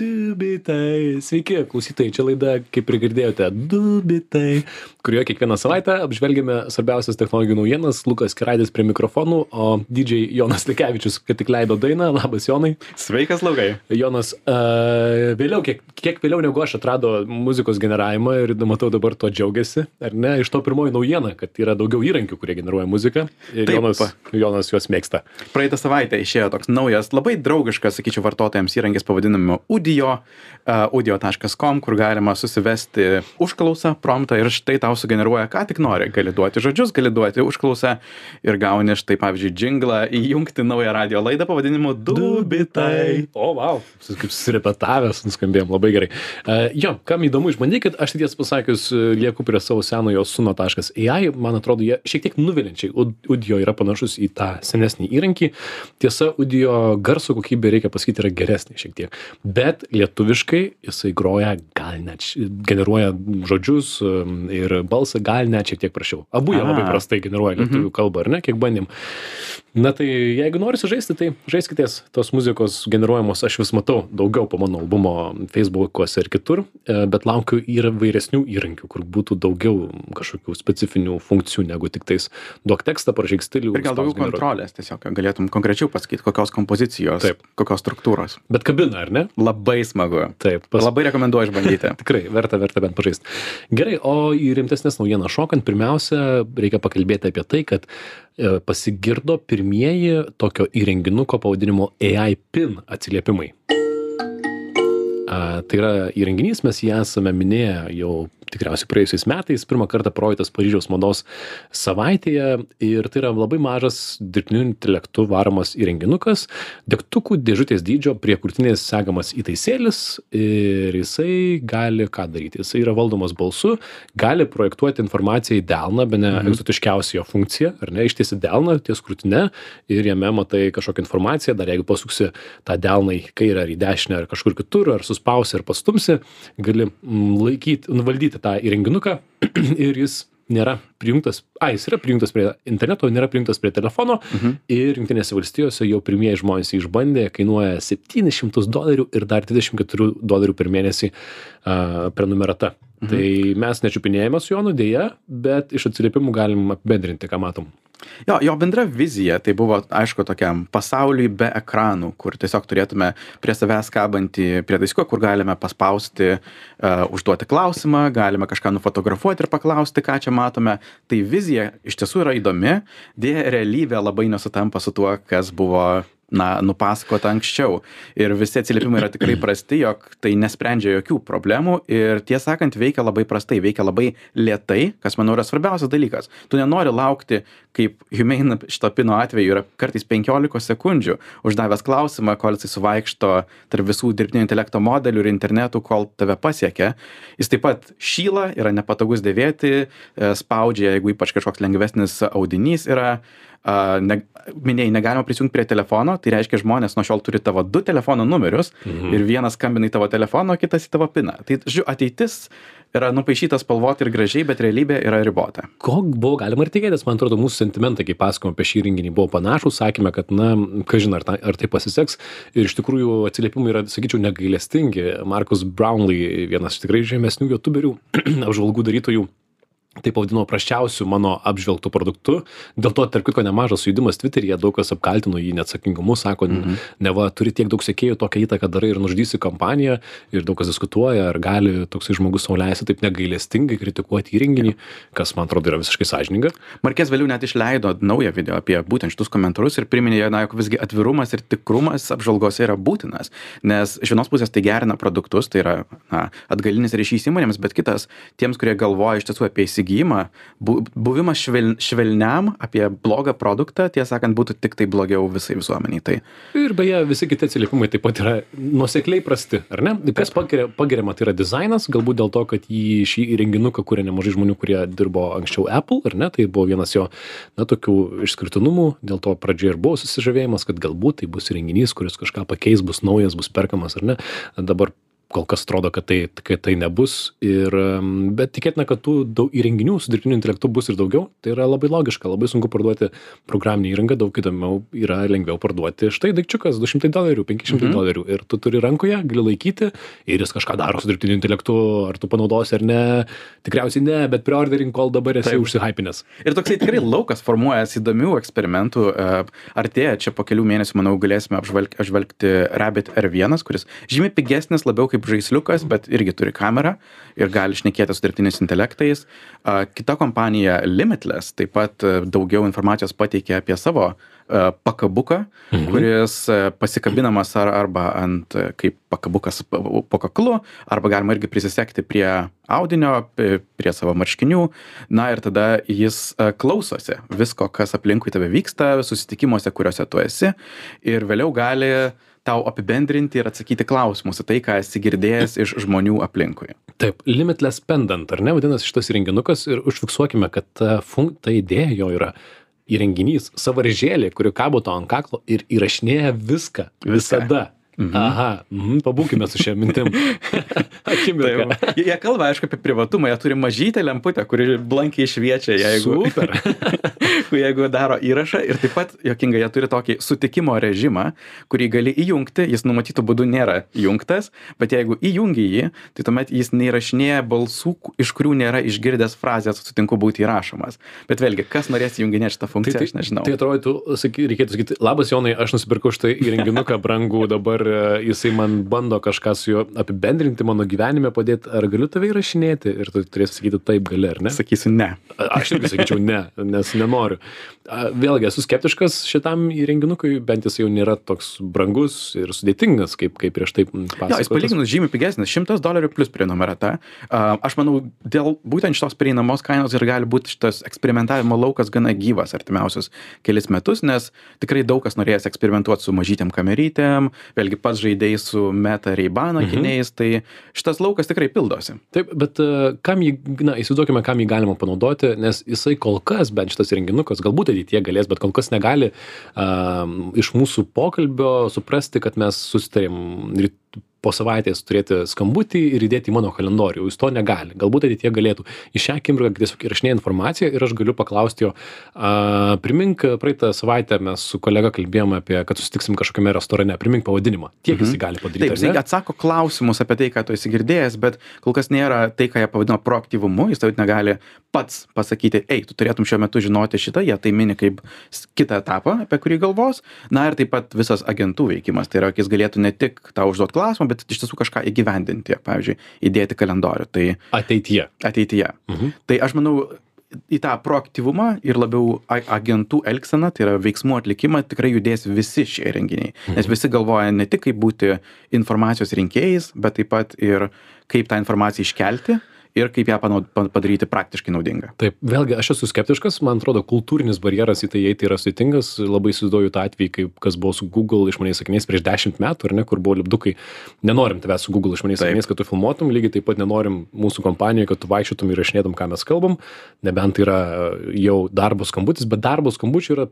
Du bitai. Sveiki, klausytojai, čia laida, kaip ir girdėjote, Du bitai, kurioje kiekvieną savaitę apžvelgiame svarbiausias technologijų naujienas. Lukas Keraitis prie mikrofonų, o DJ Jonas Likevičius, kad tik leido dainą. Labas, Jonai. Sveikas, Laukai. Jonas, vėliau, kiek vėliau negu aš atrado muzikos generavimą ir matau dabar to džiaugiasi, ar ne? Iš to pirmoji naujiena, kad yra daugiau įrankių, kurie generuoja muziką. Ir Jonas juos mėgsta. Praeitą savaitę išėjo toks naujas, labai draugiškas, sakyčiau, vartotojams įrankis pavadinimu audio.com, kur galima susivesti užklausą, promptą ir štai tau sugeneruoja, ką tik nori. Gali duoti žodžius, gali duoti užklausą ir gauni štai, pavyzdžiui, džinglą, įjungti naują radio laidą pavadinimu Du bitai. O, wow, kaip susirepetavęs, nuskambėjom labai gerai. Jo, kam įdomu išbandykit, aš tiesą pasakius lieku prie savo senojo suno.ai, man atrodo, jie šiek tiek nuvilinčiai. Audio yra panašus į tą senesnį įrankį. Tiesa, audio garso kokybė, reikia pasakyti, yra geresnė šiek tiek. Bet lietuviškai jisai groja, gal net generuoja žodžius ir balsą, gal net šiek tiek prašiau. Abu jie labai prastai generuoja lietuvių kalbą, ar ne, kiek bandėm. Na tai jeigu norisi žaisti, tai žaiskitės tos muzikos generuojamos, aš vis matau daugiau po mano albumo Facebook'ose ir kitur, bet laukiu ir vairesnių įrankių, kur būtų daugiau kažkokių specifinių funkcijų negu tik tais duok tekstą, parašyk stilių. Ir gal daugiau kontrolės tiesiog, galėtum konkrečiau pasakyti, kokios kompozicijos, kokios struktūros. Bet kabina, ar ne? Labai smagu. Taip. Labai rekomenduoju išbandyti. Tikrai, verta bent pažaisti. Gerai, o į rimtesnės naujienas šokant, pirmiausia, reikia pakalbėti apie tai, kad pasigirdo pirmieji tokio įrenginuko pavadinimo AI PIN atsiliepimai. Tai yra įrenginys, mes jį esame minėję jau tikriausiai praėjusiais metais, pirmą kartą projektas Paryžiaus mados savaitėje ir tai yra labai mažas dirbtiniu intelektu varomas įrenginukas, degtukų dėžutės dydžio prie krūtinės segamas įtaisėlis ir jisai gali ką daryti. Jisai yra valdomas balsu, gali projektuoti informaciją į delną, bene egzotiškiausia jo funkcija, ar ne, ištiesi delną ties krūtine ir jame matai kažkokią informaciją, dar jeigu pasuksi tą delną į kairę ar į dešinę ar kažkur kitur, ar suspausi ar pastumsi, gali valdyti tą įrenginuką ir jis nėra prijungtas, jis yra prijungtas prie interneto, nėra prijungtas prie telefono ir Jungtinėse valstijose jau pirmieji žmonės jį išbandė, kainuoja $700 ir dar $24 per mėnesį prenumerata. Tai mes nečiupinėjame su Jonu dėja, bet iš atsiliepimų galim apibendrinti, ką matom. Jo bendra vizija tai buvo, aišku, tokiam pasauliui be ekranų, kur tiesiog turėtume prie savęs kabantį prietaisiuką, kur galime paspausti, užduoti klausimą, galime kažką nufotografuoti ir paklausti, ką čia matome. Tai vizija iš tiesų yra įdomi, dėja realybė labai nesutampa su tuo, kas buvo nupasakota anksčiau. Ir visi atsiliepimai yra tikrai prasti, jog tai nesprendžia jokių problemų ir tiesą sakant veikia labai prastai, veikia labai lėtai, kas manau yra svarbiausias dalykas. Tu nenori laukti, kaip Humane šito pino atveju yra kartais 15 sekundžių, uždavęs klausimą, kol jisai suvaikšto tarp visų dirbtinio intelekto modelių ir internetų, kol tave pasiekia. Jis taip pat šyla, yra nepatogus dėvėti, spaudžia, jeigu ypač kažkoks lengvesnis audinys yra. Minėjai, negalima prisijungti prie telefono, tai reiškia žmonės nuo šiol turi tavo 2 telefono numerius ir vienas skambina į tavo telefoną, o kitas į tavo piną. Tai, žiūrėjau, ateitis yra nupaišytas spalvoti ir gražiai, bet realybė yra ribota. Ko buvo galima ir tikėtis, man atrodo, mūsų sentimentai, kai pasakojom apie šį renginį, buvo panašus, sakėme, kad, kažin, ar tai pasiseks. Ir iš tikrųjų atsiliepimai yra, sakyčiau, negailestingi. Marcus Brownlee, vienas tikrai žemesnių youtuberių, apžvalgų darytojų, tai pavadino prasčiausiu mano apžvelgtų produktu. Dėl to, tarp kitko, nemažas sujudimas Twitteryje, daug kas apkaltino jį neatsakingumu, sako, neva turi tiek daug sekėjų, tokią įtaką darai ir nužudysi kompaniją, ir daug kas diskutuoja, ar gali toksai žmogus sau leisti taip negailestingai kritikuoti įrenginį, kas, man atrodo, yra visiškai sąžininga. Marquez vėliau net išleido naują video apie būtent šitus komentarus ir priminė, jog visgi atvirumas ir tikrumas apžvalgose yra būtinas, nes iš vienos pusės tai gerina produktus, tai yra atgalinis ryšys įmonėms, bet kitas, tiems, kurie galvoja iš tiesų apie įsigijimą, buvimas švelniam apie blogą produktą, tiesą sakant, būtų tik tai blogiau visai visuomeniai. Tai. Ir beje, visi kiti atsiliepimai taip pat yra nuosekliai prasti, ar ne? Kas pagiriama, tai yra dizainas, galbūt dėl to, kad šį įrenginuką kuria nemažai žmonių, kurie dirbo anksčiau Apple, ar ne? Tai buvo vienas jo, tokių išskirtinumų, dėl to pradžioje ir buvo susižavėjimas, kad galbūt tai bus įrenginys, kuris kažką pakeis, bus naujas, bus perkamas, ar ne? Dabar kol kas atrodo, kad tai nebus. Bet tikėtina, kad tų įrenginių su dirbtiniu intelektu bus ir daugiau. Tai yra labai logiška, labai sunku parduoti programinį įrangą, daug įdomiau yra lengviau parduoti. Štai daikčiukas $200, $500 ir tu turi rankoje, gali laikyti ir jis kažką daro su dirbtiniu intelektu, ar tu panaudosi ar ne. Tikriausiai ne, bet preordering kol dabar esi užsihypinęs. Ir toksai tikrai laukas formuojasi įdomių eksperimentų. Artėja čia po kelių mėnesių, manau, galėsime apžvelgti Rabbit R1, kuris žymiai pigesnis, labiau kaip žaisliukas, bet irgi turi kamerą ir gali šnekėti su dirbtiniais intelektais. Kita kompanija Limitless taip pat daugiau informacijos pateikė apie savo pakabuką, kuris pasikabinamas arba ant kaip pakabukas po kaklu, arba galima irgi prisisekti prie audinio, prie savo marškinių. Na ir tada jis klausosi visko, kas aplinkui tave vyksta, susitikimuose, kuriuose tu esi, ir vėliau gali tau apibendrinti ir atsakyti klausimus į tai, ką esi girdėjęs iš žmonių aplinkui. Taip, Limitless Pendant, ar ne, vadinasi šitas įrenginukas, ir užfiksuokime, kad ta idėja jo yra įrenginys, sąvaržėlė, kuri kabo to ant kaklo ir įrašinėja viską. Visada. Aha, pabūkime su šia mintim. Akimirką. Jie kalba, aišku, apie privatumą, jie turi mažytę lemputę, kuri blankiai šviečia, jeigu daro įrašą, ir taip pat, juokingai, jie turi tokį sutikimo režimą, kurį gali įjungti, jis numatytų būdu nėra įjungtas, bet jeigu įjungi jį, tai tuomet jis neįrašinėja balsų, iš kurių nėra išgirdęs frazės sutinku būti įrašomas. Bet vėlgi, kas norės įjunginėti šitą funkciją, aš nežinau. Tai atrodytų, reikėtų sakyti, labas Jonai, aš nusipirkau šitą įrenginuką brangų, dabar jisai man bando kažką su juo apibendrinti, mano gyvenime padėti, ar galiu tave įrašinėti? Ir tu turėsi sakyti taip gali, ar ne? Sakysiu ne. Aš irgi sakyčiau ne, nes nenoriu. Vėlgi, esu skeptiškas šitam įrenginukui, bent jis jau nėra toks brangus ir sudėtingas, kaip prieš tai pasakotas. Jo, jis palyginus žymiai pigesnis, $100 plus prenumerata. Aš manau, dėl būtent šitos prieinamos kainos ir gali būti šitas eksperimentavimo laukas gana gyvas artimiausius kelis metus, nes tikrai daug kas norės eksperimentuoti su mažytėm kamerytėm, vėlgi pats žaidėjai su Meta Ray-Ban akiniais, tai šitas laukas tikrai pildosi. Taip, bet įsivaizduokime, kam jį galima panaudoti, nes jisai kol kas, bent šitas įrenginukas, galbūt ateityje galės, bet kol kas negali iš mūsų pokalbio suprasti, kad mes susitarėm po savaitės turėti skambutį ir įdėti į mano kalendorių. Jis to negali. Galbūt ateityje galėtų. Iš šią akimirką tiesiog įrašinėja informaciją ir aš galiu paklausti jo, primink, praeitą savaitę mes su kolega kalbėjome apie, kad susitiksim kažkokiame restorane, primink pavadinimą. Tiek jis gali padaryti. Taip, jis atsako klausimus apie tai, ką tu esi girdėjęs, bet kol kas nėra tai, ką jie pavadino proaktyvumu, jis tau negali pats pasakyti, tu turėtum šiuo metu žinoti šitą, jie tai mini kaip kitą etapą, apie kurį galvos. Na ir taip pat visas agentų veikimas, tai yra, jis galėtų ne tik tau užduoti klausimą, bet iš tiesų kažką įgyvendinti, pavyzdžiui, įdėti kalendorių. Tai ateityje. Tai aš manau, į tą proaktyvumą ir labiau agentų elgseną, tai yra veiksmų atlikimą, tikrai judės visi šie įrenginiai. Nes visi galvoja ne tik kaip būti informacijos rinkėjais, bet taip pat ir kaip tą informaciją iškelti ir kaip ją padaryti praktiškai naudingą. Taip, vėlgi, aš esu skeptiškas, man atrodo, kultūrinis barjeras į tai įeiti yra sudėtingas, labai įsivaizduoju tą atvejį, kaip kas buvo su Google išmaniais akiniais prieš 10 metų, ar ne, kur buvo lipdukai, nenorim tavęs su Google išmaniais akiniais, kad tu filmuotum, lygiai taip pat nenorim mūsų kompanijoje, kad tu vaikščiotum ir įrašinėtum, ką mes kalbam, nebent yra jau darbo skambutis, bet darbo skambučių yra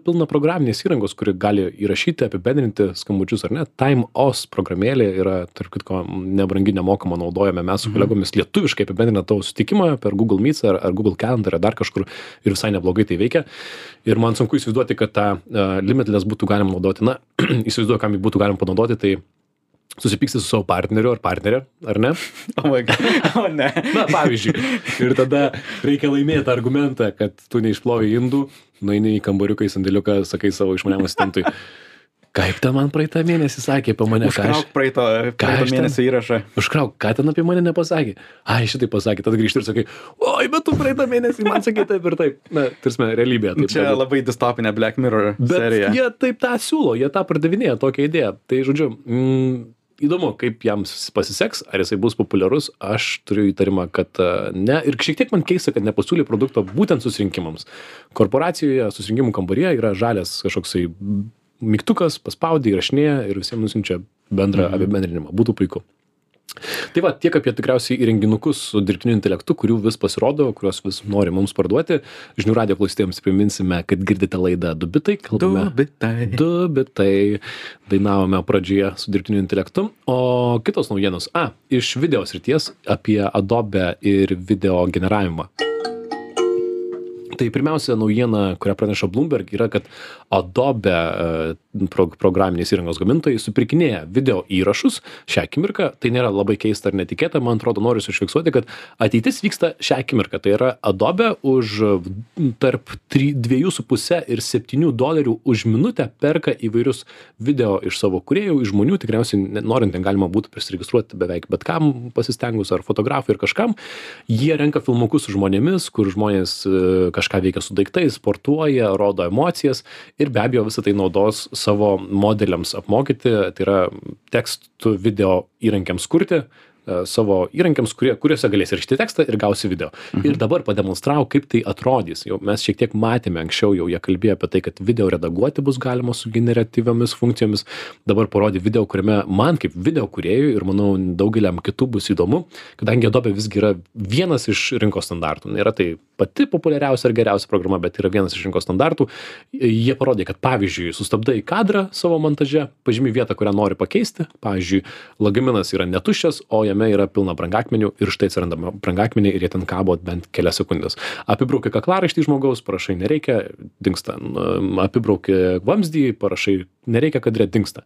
pilna programinės įrangos, kuri gali įrašyti, apibendrinti skambučius, ar ne. TimeOS programėlė yra, tarp kitko, nebrangi, nemokama, naudojame mes su kolegomis lietuviškai apibendrina tavo sutikimą per Google Meets ar Google Calendar ar dar kažkur ir visai neblogai tai veikia. Ir man sunku įsivaizduoti, kad tą Limitless būtų galima naudoti. Na, įsivaizduoju, kam jį būtų galima panaudoti, tai susipyksti su savo partneriu ar partnerė, ar ne? O ne. Na, pavyzdžiui. Ir tada reikia laimėti argumentą, kad tu neišplovai indų, nueini į kambariuką, į sandėliuką, sakai savo išmaniam asistentui. Kaip ten man praeitą mėnesį sakė apie mane? Užkrauk praeitą mėnesį įrašą. Užkrauk, ką ten apie mane nepasakė? Ai, šitai pasakė, tada grįžti ir sakai, oi, bet tu praeitą mėnesį man sakė taip ir taip. Na, tarsime, realybė. Čia labai distopinė Black Mirror serija. Bet jie taip tą siūlo, jie tą pardavinėja, tokią idėją. Tai, žodžiu, įdomu, kaip jam pasiseks, ar jisai bus populiarus, aš turiu įtarimą, kad ne. Ir šiek tiek man keista, kad nepasiūlė produkto būtent susirinkimams. Korporacijoje susirinkimų kambaryje yra žalias kažkoksai mygtukas, paspaudė, įrašinėja ir visiems nusinčia bendrą apibendrinimą. Būtų puiku. Tai va, tiek apie tikriausiai įrenginukus su dirbtiniu intelektu, kurių vis pasirodo, kuriuos vis nori mums parduoti. Žinių radijo klausytojams priminsime, kad girdite laidą Du bitai. Du bitai. Dainavome pradžioje su dirbtiniu intelektu. O kitos naujienos. Iš video srities apie Adobe ir video generavimą. Tai pirmiausia naujiena, kurią praneša Bloomberg, yra, kad Adobe programinės įrangos gamintojai supirkinėja video įrašus šią akimirką. Tai nėra labai keista ar netikėta, man atrodo, noriu užfiksuoti, kad ateitis vyksta šią akimirką. Tai yra Adobe už tarp $2,5 ir $7 už minutę perka įvairius video iš savo kūrėjų, iš žmonių, tikriausiai norint ten galima būtų prisiregistruoti beveik bet kam pasistengus, ar fotografui, ir kažkam. Jie renka filmukus su žmonėmis, kur žmonės kažką veikia su daiktais, sportuoja, rodo emocijas ir be abejo visą tai naudos savo modeliams apmokyti, tai yra tekstų video įrankiams kurti, savo įrankiams, kuriuose galės įrašyti tekstą ir gausi video. Ir dabar pademonstravo, kaip tai atrodys. Jau mes šiek tiek matėme anksčiau, jau jie kalbėjo apie tai, kad video redaguoti bus galima su generatyviomis funkcijomis. Dabar parodė video, kuriame man kaip video kūrėjui ir manau daugeliam kitų bus įdomu, kadangi Adobe visgi yra vienas iš rinkos standartų. Nėra tai pati populiariausia ir geriausia programa, bet yra vienas iš rinkos standartų. Jie parodė, kad pavyzdžiui, sustabdai kadrą savo montaže, pažymi vietą, kurią nori pakeisti. Pavyzdžiui, lagaminas yra netuščias, o jame yra pilna brangakmenių ir štai atsiranda brangakmeniai ir jie ten kabo bent kelias sekundės. Apibrauki kaklaraištį žmogaus, parašai nereikia, dingsta. Apibrauki vamzdį, parašai nereikia, kadre, dingsta.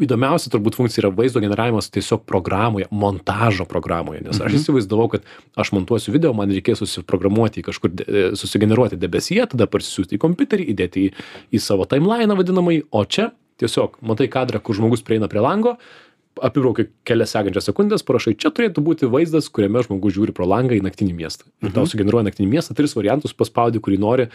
Įdomiausia turbūt funkcija yra vaizdo generavimas tiesiog programoje, montažo programoje, nes aš įsivaizdavau, kad aš montuosiu video, man reikės susiprogramuoti kažkur, susigeneruoti debesyje, tada parsisiųsti į kompiuterį, įdėti į savo timeliną vadinamai, o čia tiesiog matai kadrą, kur žmogus prieina prie lango, apibrauki kelias sekančias sekundės, parašai, čia turėtų būti vaizdas, kuriame žmogus žiūri pro langą į naktinį miestą. Ir tau sugeneruoja naktinį miestą, 3 variantus, paspaudi, kurį nori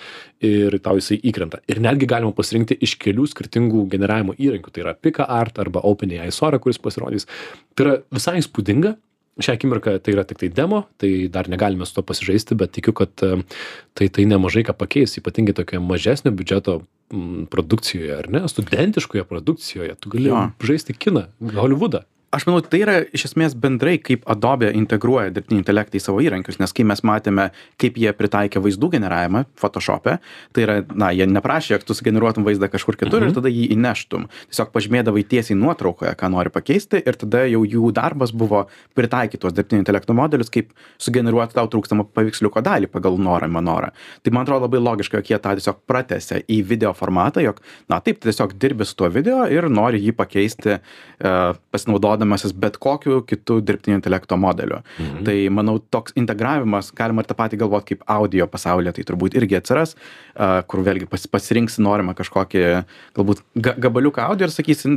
ir tau jisai įkrenta. Ir netgi galima pasirinkti iš kelių skirtingų generavimo įrankių. Tai yra PicaArt arba OpenAI Sora, kuris pasirodys. Tai yra visai įspūdinga. Šią akimirką tai yra tik tai demo, tai dar negalime su to pasižaisti, bet tikiu, kad tai nemažai ką pakeis, ypatingai tokio mažesnio biudžeto produkcijoje, ar ne, studentiškoje produkcijoje. Tu gali žaisti kiną, Hollywoodą. Aš manau, tai yra iš esmės bendrai, kaip Adobe integruoja dirbtinį intelektą į savo įrankius, nes kai mes matėme, kaip jie pritaikė vaizdų generavimą Photoshop'e, tai yra, jie neprašė, kad tu sugeneruotum vaizdą kažkur kitur ir tada jį įneštum. Tiesiog pažymėdavai tiesiai nuotraukoje, ką nori pakeisti ir tada jau jų darbas buvo pritaikyti tuos dirbtinio intelekto modelius, kaip sugeneruoti tau trūkstamą paveiksliuko dalį pagal norą. Tai man atrodo labai logiška, jog jie tą tiesiog pratęsia į video formatą, jog, taip, tiesiog dirbi su tuo video ir nori jį pakeisti pasinaudodamasis bet kokiu kitu dirbtinio intelekto modeliu. Tai, manau, toks integravimas, galima ir tą patį galvoti kaip audio pasaulyje, tai turbūt irgi atsiras, kur vėlgi pasirinksi norimą kažkokį, galbūt gabaliuką audio ir sakysi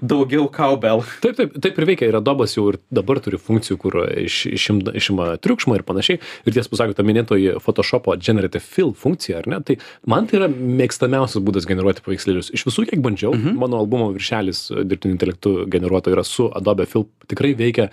daugiau cowbell. Taip ir veikia. Ir Adobe'as jau ir dabar turi funkcijų, kur išima triukšmą ir panašiai. Ir tiesą pasakius, ta minėtoji Photoshop'o Generative Fill funkcija, ar ne? Tai man tai yra mėgstamiausias būdas generuoti paveikslėlius. Iš visų, kiek bandžiau, mano albumo viršelis dirbtinio intelektu generuoto yra su Adobe Fill, tikrai veikia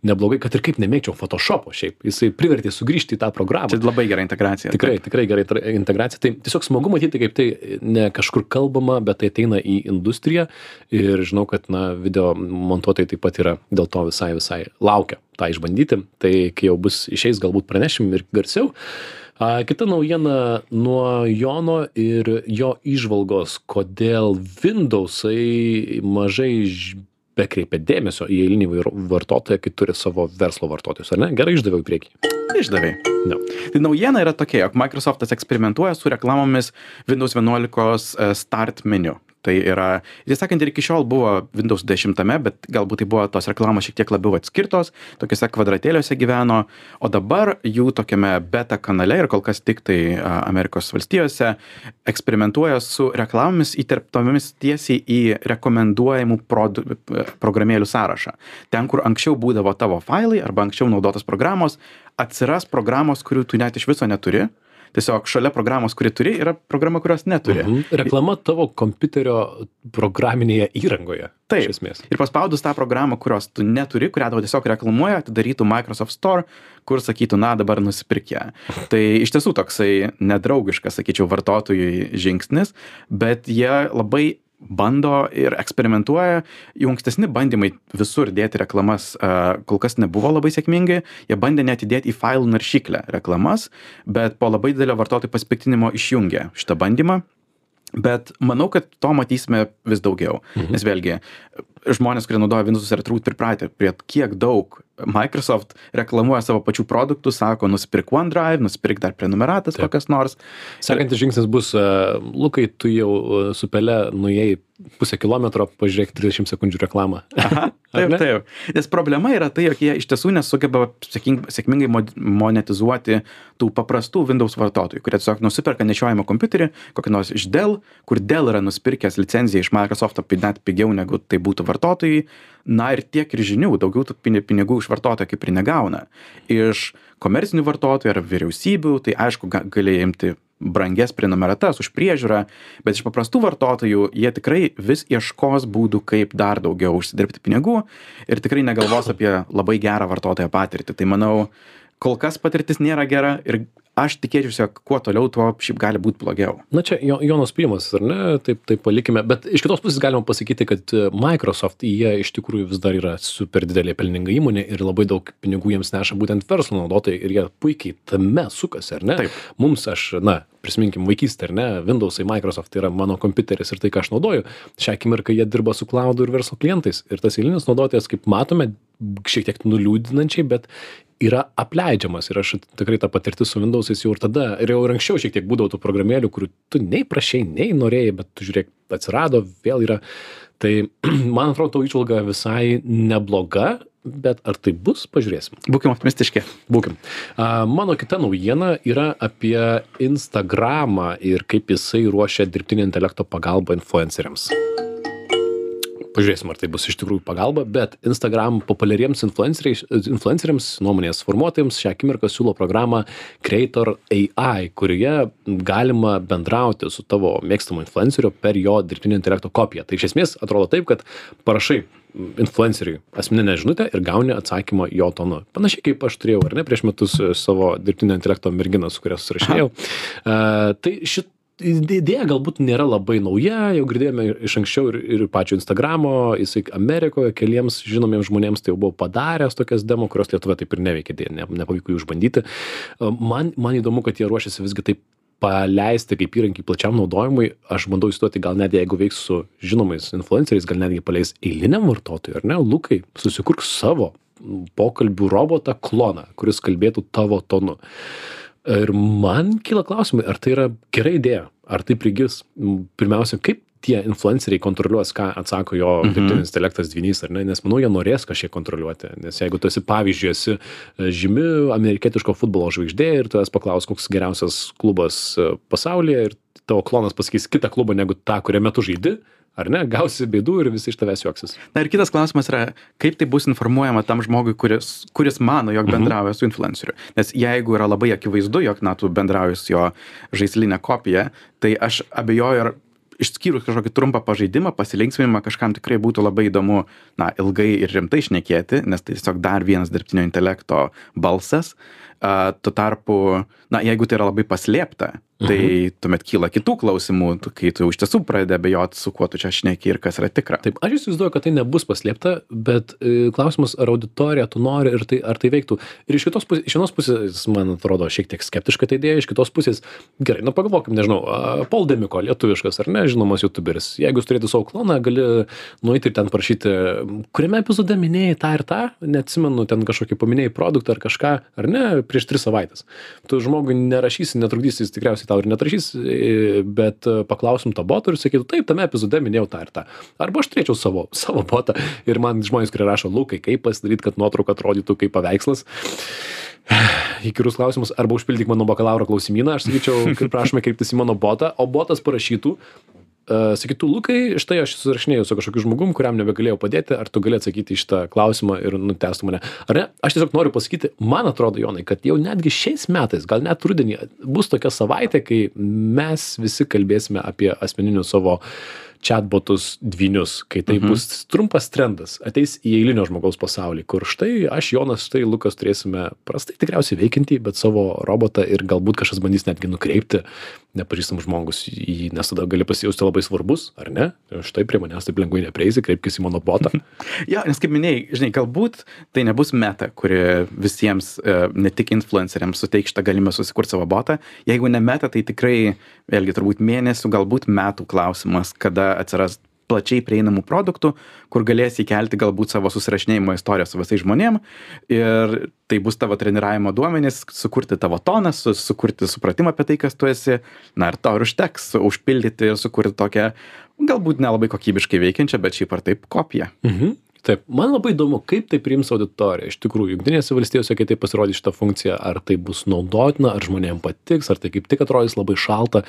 neblogai, kad ir kaip nemėgčiau Photoshop'o šiaip. Jisai privertė sugrįžti į tą programą. Tai labai gera integracija. Tikrai gera integracija. Tai tiesiog smagu matyti, kaip tai ne kažkur kalbama, bet tai ateina į industriją ir žinau, kad video montuotojai taip pat yra dėl to visai laukia tą išbandyti. Tai kai jau bus išeis, galbūt pranešim ir garsiau. Kita naujiena nuo Jono ir jo įžvalgos, kodėl Windowsai mažai bekreipia dėmesio į eilinį vartotoją, kai turi savo verslo vartotojus, ar ne? Gerai išdaviau į priekį. Išdavei. Tai naujiena yra tokia, jog Microsoftas eksperimentuoja su reklamomis Windows 11 Start meniu. Tai yra, tiesą sakant, ir iki šiol buvo Windows 10, bet galbūt tai buvo tos reklamos šiek tiek labiau atskirtos, tokiuose kvadratėliuose gyveno, o dabar jų tokiame beta kanale ir kol kas tik tai Amerikos valstijose eksperimentuoja su reklamomis įterptomis tiesiai į rekomenduojamų programėlių sąrašą. Ten, kur anksčiau būdavo tavo failai arba anksčiau naudotos programos, atsiras programos, kurių tu net iš viso neturi. Tiesiog šalia programos, kuri turi, yra programa, kurios neturi. Reklama tavo kompiuterio programinėje įrangoje. Taip. Iš esmės. Ir paspaudus tą programą, kurios tu neturi, kurią tau tiesiog reklamuoja, atidarytų Microsoft Store, kur sakytų, dabar nusipirk ją. Tai iš tiesų toksai nedraugiškas, sakyčiau, vartotojui žingsnis, bet jie labai bando ir eksperimentuoja. Jų ankstesni bandymai visur dėti reklamas kol kas nebuvo labai sėkmingi. Jie bandė net įdėti į failų naršyklę reklamas, bet po labai didelio vartotojų pasipiktinimo išjungė šitą bandymą. Bet manau, kad to matysime vis daugiau. Nes vėlgi, žmonės, kurie naudoja Windows'us, yra turbūt pripratę prie kiek daug Microsoft reklamuoja savo pačių produktų, sako, nusipirk OneDrive, nusipirk dar prenumeratas kokias nors. Sekantis žingsnis bus, Lukai, tu jau su pele nuėjai pusę kilometro, pažiūrėk 30 sekundžių reklamą. Aha, taip. Nes problema yra tai, jog jie iš tiesų nesugeba sėkmingai monetizuoti tų paprastų Windows vartotojų, kurie tiesiog nusiperka nešiojamą kompiuterį, kokį nors iš Dell, kur Dell yra nusipirkęs licenciją iš Microsoft net pigiau negu tai būtų vartotojai. Na ir tiek ir žinių, daugiau tų pinigų iš vartotojo kaip ir negauna. Iš komercinių vartotojų ar vyriausybių, tai aišku, gali imti brangias prenumeratas už priežiūrą, bet iš paprastų vartotojų jie tikrai vis ieškos būdų, kaip dar daugiau užsidirbti pinigų ir tikrai negalvos apie labai gerą vartotojo patirtį. Tai manau, kol kas patirtis nėra gera ir aš tikėčiausi, jog kuo toliau, tuo šiaip gali būti blogiau. Na čia Jono spėjimas, ar ne? Taip palikime. Bet iš kitos pusės galima pasakyti, kad Microsoft, jie iš tikrųjų vis dar yra super didelė pelninga įmonė ir labai daug pinigų jiems neša būtent verslo naudotojai ir jie puikiai tame sukasi, ar ne? Taip. Mums prisiminkim vaikystę, ar ne? Windows'ai, Microsoft tai yra mano kompiuteris ir tai, ką aš naudoju. Šią akimirką jie dirba su cloud ir verslo klientais. Ir tas eilinis naudotojas, kaip matome, šiek tiek nuliūdinančiai, bet yra apleidžiamas ir aš tikrai tą patirtį su Windows'ais jau ir tada, ir jau ir anksčiau šiek tiek būdavo tų programėlių, kurių tu nei prašei, nei norėjai, bet tu žiūrėk, atsirado, vėl yra. Tai man atrodo, tau įžvalga visai nebloga, bet ar tai bus, pažiūrėsim. Būkim optimistiški. Būkim. Mano kita naujiena yra apie Instagramą ir kaip jisai ruošia dirbtinio intelekto pagalbą influenceriams. Pažiūrėsim, ar tai bus iš tikrųjų pagalba, bet Instagram populiariems influenceriams, nuomonės formuotojams šią akimirką siūlo programą Creator AI, kurioje galima bendrauti su tavo mėgstamu influenceriu per jo dirbtinio intelekto kopiją. Tai iš esmės atrodo taip, kad parašai influenceriui asmeninę žinutę ir gauni atsakymą jo tonu. Panašiai kaip aš turėjau, ar ne, prieš metus savo dirbtinio intelekto merginą, su kuria susirašinėjau. Tai idėja galbūt nėra labai nauja, jau girdėjome iš anksčiau ir pačio Instagramo, jisai Amerikoje keliems žinomiems žmonėms tai jau buvo padaręs tokias demo, kurios Lietuvoje taip ir neveikė, nepavyko jų išbandyti. Man įdomu, kad jie ruošiasi visgi taip paleisti kaip įrankį plačiam naudojimui. Aš bandau įsivaizduoti, gal net jeigu veiks su žinomais influenceriais, gal netgi paleis eiliniam vartotojui, ar ne? Lukai, susikurk savo pokalbių robotą kloną, kuris kalbėtų tavo tonu. Ir man kyla klausimai, ar tai yra gera idėja, ar tai prigis. Pirmiausia, kaip tie influenceriai kontroliuos, ką atsako jo dirbtinis intelektas dvynys, ar ne? Nes manau, jie norės kažkiek kontroliuoti. Nes jeigu tu esi, pavyzdžiui, esi žymi amerikietiško futbolo žvaigždė ir tu esi paklaus, koks geriausias klubas pasaulyje ir tavo klonas pasakys kitą klubą negu tą, kuriame tu žaidi, ar ne, gausi bėdų ir visi iš tavęs juoksis. Na ir kitas klausimas yra, kaip tai bus informuojama tam žmogui, kuris mano, jog bendrauja su influenceriu. Nes jeigu yra labai akivaizdu, jog tu bendrauji su jo žaislinę kopiją, tai aš abejoju, ar išskyrus kažkokį trumpą pažaidimą, pasilinksminimą, kažkam tikrai būtų labai įdomu, ilgai ir rimtai šnekėti, nes tai tiesiog dar vienas dirbtinio intelekto balsas. Tuo tarpu, jeigu tai yra labai paslėpta, tai tuomet kyla kitų klausimų, kai tu iš tiesų pradedi abejoti, su kuo tu čia šneki ir kas yra tikra. Taip, aš įsivaizduoju, kad tai nebus paslėpta, bet klausimas, ar auditorija tu nori ir ar tai veiktų. Ir iš vienos pusės, man atrodo, šiek tiek skeptiška tai idėja, iš kitos pusės, gerai, pagalvokim, nežinau, Paul Demiko, lietuviškas ar ne, žinomas youtuberis. Jeigu jūs turėtų savo kloną, gali nueiti ir ten parašyti, kuriame epizode minėjai tą ir tą, neatsimenu, ten kažkokį paminėjai produktą ar kažką, ar ne, prieš 3 savaitės. Tu žmogui nerašysi, netrukdysi, jis tikriausiai tau ir netrašys, bet paklausim tą botą ir sakytų, taip, tame epizode minėjau tą ir tą. Arba aš turėčiau savo botą ir man žmonės, kurie rašo, Lukai, kaip pasidaryti, kad nuotrauka atrodytų kaip paveikslas. Įkyrus klausimus, arba užpildyk mano bakalauro klausimyną, aš sakyčiau, kaip prašome kreiptis į mano botą, o botas parašytų, sakytų, Lukai, štai aš susirašinėjau su kažkokiu žmogum, kuriam nebegalėjau padėti, ar tu gali atsakyti į šitą klausimą ir nutęstų mane. Ar ne? Aš tiesiog noriu pasakyti, man atrodo, Jonai, kad jau netgi šiais metais, gal net rudenį, bus tokia savaitė, kai mes visi kalbėsime apie asmeninius savo chatbotus dvynius, kai tai bus trumpas trendas, ateis į eilinio žmogaus pasaulį, kur štai aš, Jonas, štai Lukas turėsime prastai tikriausiai veikiantį, bet savo robotą ir galbūt kažkas bandys netgi nukreipti nepažįstam žmogus į jį, nes tada gali pasijausti labai svarbus, ar ne? Štai prie manęs taip lengvai neprieisi, kreipkis į mano botą. Jo, nes kaip minėjai, žinai, galbūt tai nebus Meta, kuri visiems, ne tik influenceriams suteiks šitą galimybę susikurti savo botą. Jeigu ne Meta, tai tikrai, vėlgi, turbūt mėnesių, galbūt metų klausimas, kada atsiras plačiai prieinamų produktų, kur galėsi įkelti galbūt savo susirašinėjimo istoriją su visais žmonėm ir tai bus tavo treniravimo duomenys, sukurti tavo toną, sukurti supratimą apie tai, kas tu esi, na ir to ir užteks užpildyti ir sukurti tokią galbūt nelabai kokybiškai veikiančią, bet šiaip ar taip kopiją. Taip, man labai įdomu, kaip tai priims auditorija. Iš tikrųjų, Jungtinėse valstijose, kai tai pasirodys šitą funkciją, ar tai bus naudotina, ar žmonėms patiks, ar tai kaip tik atrodys labai šalta.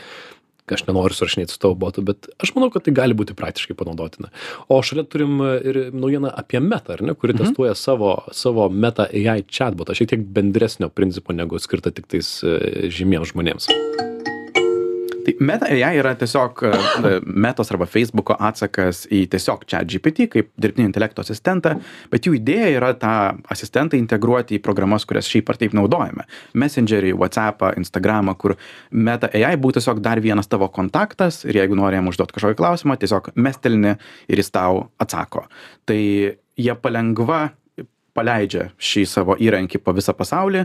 Aš nenoriu surašinėti su tavo botu, bet aš manau, kad tai gali būti praktiškai panaudotina. O šalia turim ir naujieną apie Meta, ar ne, kuri testuoja savo Meta AI chatbotą, šiek tiek bendresnio principo negu skirta tik tais žymiems žmonėms. Tai Meta AI yra tiesiog Metos arba Facebooko atsakas į tiesiog ChatGPT kaip dirbtinio intelekto asistentą, bet jų idėja yra tą asistentą integruoti į programas, kurias šiaip ar taip naudojame. Messengerį, WhatsAppą, Instagramą, kur Meta AI būtų tiesiog dar vienas tavo kontaktas ir jeigu nori jam užduoti kažkokį klausimą, tiesiog mestelini ir jis tau atsako. Tai jie palengva paleidžia šį savo įrankį po visą pasaulį.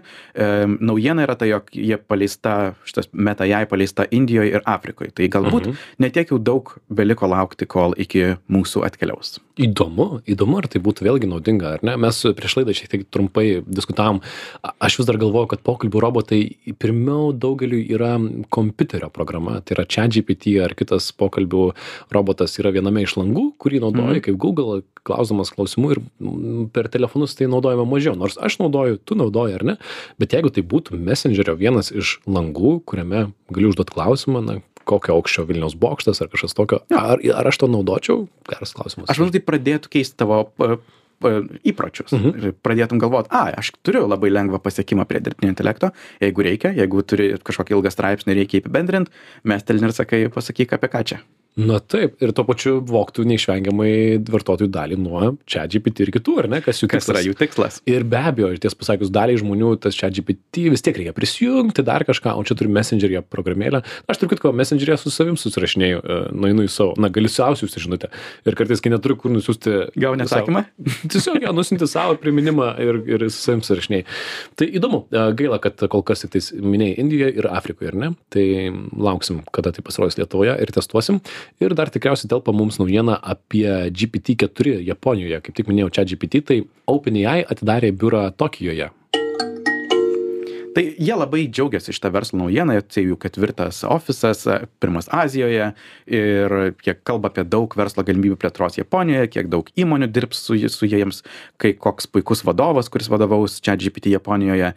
Naujiena yra tai, jog jie paleista, šitas Meta AI paleista Indijoje ir Afrikoje. Tai galbūt netiek jau daug beliko laukti, kol iki mūsų atkeliaus. Įdomu, ar tai būtų vėlgi naudinga, ar ne? Mes prieš laidą šiek tiek trumpai diskutavom. Aš vis dar galvoju, kad pokalbių robotai pirmiau daugeliu yra kompiuterio programa. Tai yra ChatGPT ar kitas pokalbių robotas yra viename iš langų, kurį naudoji kaip Google, klausdamas klausimų ir per telefonus tai naudojame mažiau. Nors aš naudoju, tu naudoji, ar ne? Bet jeigu tai būtų Messengerio vienas iš langų, kuriame gali užduoti klausimą, na, kokio aukščio Vilniaus bokštas ar kažkas tokio, ar aš to naudočiau? Geras klausimas. Aš manau, tai pradėtų keisti tavo įpročius. Ir pradėtum galvoti, aš turiu labai lengvą pasiekimą prie dirbtinio intelekto, jeigu reikia, jeigu turi kažkokį ilgą straipsnį, reikia apibendrinti, mestelini ir sakai, pasakyk apie ką čia. Na taip, ir tuo pačiu vogtų neišvengiamai vartotojų dalį nuo ChatGPT ir kitų, ar ne? Kas yra jų tikslas. Ir be abejo, ties pasakius, daliai žmonių tas ChatGPT vis tiek reikia prisijungti dar kažką, o čia turi Messengeryje programėlę. Aš turiu kitko Messengeryje su savim susirašinėju, nueinu į savo, gali siausiusi žinutę. Ir kartais, kai neturiu kur nusiųsti... Gauni atsakymą? Tiesiog nusinti savo priminimą ir su savim susirašinėju. Tai įdomu, gaila, kad kol kas tik tais minėjai Indijoje ir Afrikoje, ar ne? Tai lauksim, kada tai pasirodys Lietuvoje ir testuosim. Ir dar tikriausiai telpa mums naujiena apie GPT-4 Japonijoje. Kaip tik minėjau ChatGPT, tai OpenAI atidarė biurą Tokijoje. Tai jie labai džiaugiasi šitą verslo naujieną, tai jų 4. ofisas, 1 Azijoje ir kiek kalba apie daug verslo galimybių plėtros Japonijoje, kiek daug įmonių dirbs su jiems, kai koks puikus vadovas, kuris vadovaus ChatGPT Japonijoje.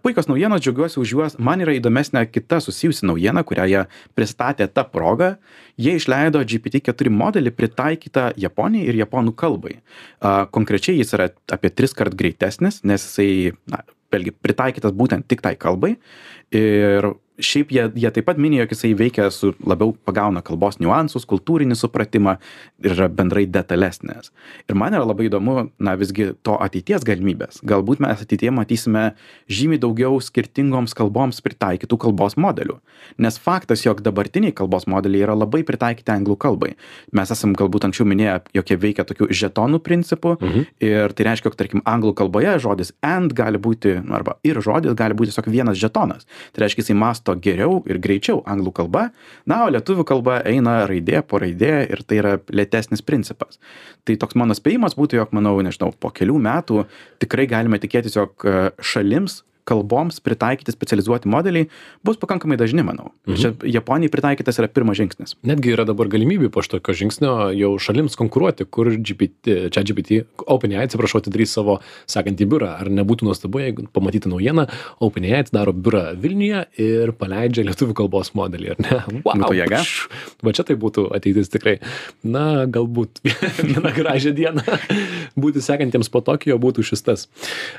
Puikios naujienos, džiaugiuosi už juos. Man yra įdomesnė kita susijusi naujiena, kurią jie pristatė tą progą. Jie išleido GPT-4 modelį pritaikytą Japonijai ir japonų kalbai. Konkrečiai jis yra apie 3 kart greitesnis, nes jisai, vėlgi, pritaikytas būtent tik tai kalbai. Ir šiaip jie taip pat minėjo, jog jisai veikia labiau pagauna kalbos niuansus, kultūrinį supratimą ir yra bendrai detalesnės. Ir man yra labai įdomu, visgi to ateities galimybės. Galbūt mes ateityje matysime žymiai daugiau skirtingoms kalboms pritaikytų kalbos modelių. Nes faktas, jog dabartiniai kalbos modeliai yra labai pritaikyti anglų kalbai. Mes esam galbūt anksčiau minėję, jog jie veikia tokių žetonų principų ir tai reiškia, jog tarkim anglų kalboje žodis and gali būti, arba ir žodis gali būti tiesiog vienas žetonas. Tai reiškia, jisai mąsto geriau ir greičiau anglų kalba, o lietuvių kalba eina raidė po raidė ir tai yra lėtesnis principas. Tai toks mano spėjimas būtų, jog, manau, nežinau, po kelių metų tikrai galime tikėtis, jog šalims kalboms pritaikyti specializuoti modeliai bus pakankamai dažni, manau. Čia Japonijai pritaikytas yra pirmas žingsnis. Netgi yra dabar galimybė po šitokio žingsnio jau šalims konkuruoti, kur ChatGPT, OpenAI, atidarys savo sekantį biurą. Ar nebūtų nuostabu, jeigu pamatyti naujieną, OpenAI atidaro biurą Vilniuje ir paleidžia lietuvių kalbos modelį, ar ne? Wow! Jėga. Va čia tai būtų ateitis tikrai. Na, galbūt vieną gražią dieną. būti sekantiems po Tokijo būtų šis tas.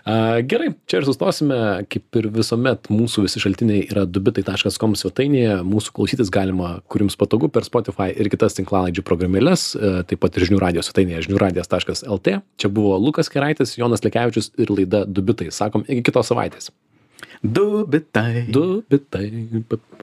Gerai, čia ir sustosime, kaip ir visuomet mūsų visi šaltiniai yra dubitai.com svetainėje, mūsų klausytis galima, kur jums patogu, per Spotify ir kitas tinklalaidžių programėles, taip pat ir žinių radijo svetainėje žiniųradijas.lt. Čia buvo Lukas Keraitis, Jonas Lekevičius ir laida Dubitai. Sakom, iki kitos savaitės. Dubitai. Dubitai.